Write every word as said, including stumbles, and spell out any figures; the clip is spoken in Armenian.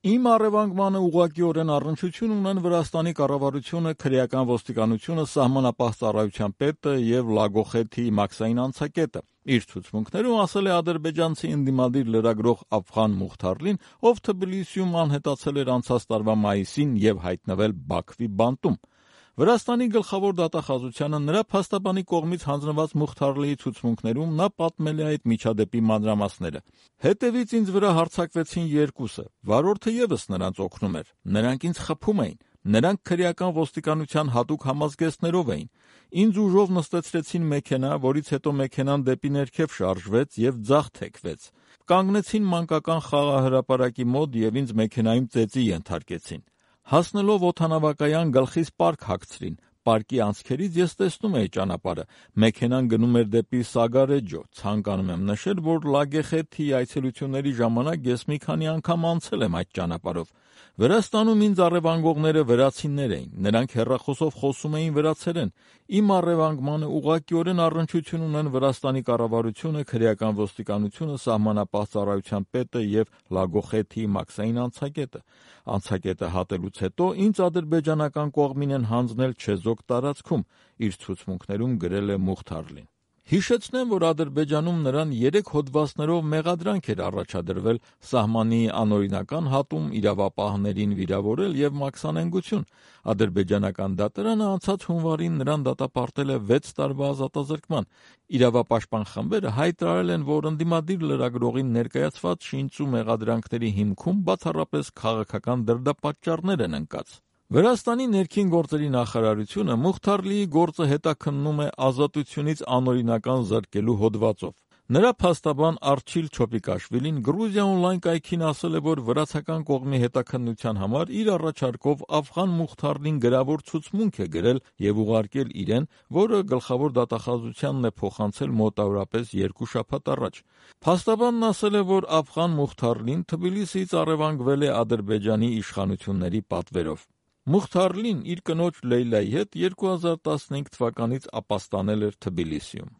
Իմ առևանգմանը ուղղակիորեն առնչություն ունեն Վրաստանի կառավարությունը, քրեական ոստիկանությունը, սահմանապահ ծառայության պետը եւ Լագոխեթի մաքսային անցակետը։ Իր ցուցմունքներում ասել է ադրբեջանցի ընդդիմադիր լրագրող Աֆղան Մուխթարլին, ով Թբիլիսիում անհետացել էր անցած տարվա մայիսին եւ հայտնվել Բաքվի բանտում։ Վրաստանի գլխավոր դատախազությանը նրա փաստաբանի կողմից հանձնված Մուխթարլիի ցուցմունքներում նա պատմել է այդ միջադեպի մանրամասները։ Հետևից ինձ վրա հարձակվեցին երկուսը, վարորդը եւս նրանց օգնում էր։ Նրանք ինձ խփում էին։ Նրանք քրեական ոստիկանության հատուկ համազգեստներով էին։ Ինձ ուժով նստեցրեցին մեքենա, որից հետո մեքենան դեպի ներքև շարժվեց եւ ձախ թեքվեց։ Կանգնեցին մանկական խաղահրապարակի մոտ եւ ինձ մեքենայում ծեծի ենթարկեցին։ Հասնելով օդանավակայան գլխիս պարկ հագցրին։ Պարկի անցքերից ես տեսնում էի ճանապարհը։ Մեքենան գնում էր դեպի Սագարեջո։ Ցանկանում եմ նշել, որ Լագեխեթի այցելությունների ժամանակ ես մի քանի անգամ անցել եմ այդ ճանապարհով։ Վրաստանում ինձ առևանգողները վրացիներ էին։ Նրանք հեռախոսով խոսում էին վրացերեն։ Իմ առևանգմանը ուղղակիորեն առնչություն ունեն Վրաստանի կառավարությունը, քրեական ոստիկանությունը, սահմանապահ ծառայության պետը եւ Լագոխեթի մաքսային անցակետը։ Անցակետը հատելուց հետո ինձ ադրբեջանական կողմին են հանձնել Չեզոք տարածքում, իր ցուցմունքներում գրել է Մուխթարլին։ Հիշեցնեմ, որ Ադրբեջանում նրան երեք հոդվածներով մեղադրանք էր առաջադրվել սահմանի անօրինական հատում, իրավապահներին վիրավորել եւ մաքսանենգություն։ Ադրբեջանական դատարանը անցած հունվարին նրան դատապարտել է վեց տարվա ազատազրկման։ Իրավապաշտպան խմբերը հայտարարել են, որ ընդդիմադիր լրագրողին ներկայացված շինծու մեղադրանքների հիմքում բացառապես քաղաքական դրդապատճառներ են ընկած։ Վրաստանի ներքին գործերի նախարարությունը Մուխթարլիի գործը հետաքննում է ազատությունից անօրինական զրկելու հոդվածով։ Նրա փաստաբան Արչիլ Չոպիկաշվիլին Գրուզիա օնլայն կայքին ասել է, որ վրացական կողմի հետաքննության համար իր առաջարկով Աֆղան Մուխթարլին գրավոր ցուցմունք է գրել եւ ուղարկել իրեն, որը գլխավոր դատախազությանն է փոխանցել մոտավորապես երկու շաբաթ առաջ։ Փաստաբանն ասել է, որ Աֆղան Մուխթարլին Թբիլիսիից առևանգվել է Ադրբեջանի իշխանությունների պատվերով։ Մուխթարլին իր կնոջ Լեյլայի հետ երկու հազար տասնհինգ թվականից ապաստանել էր Թբիլիսիում։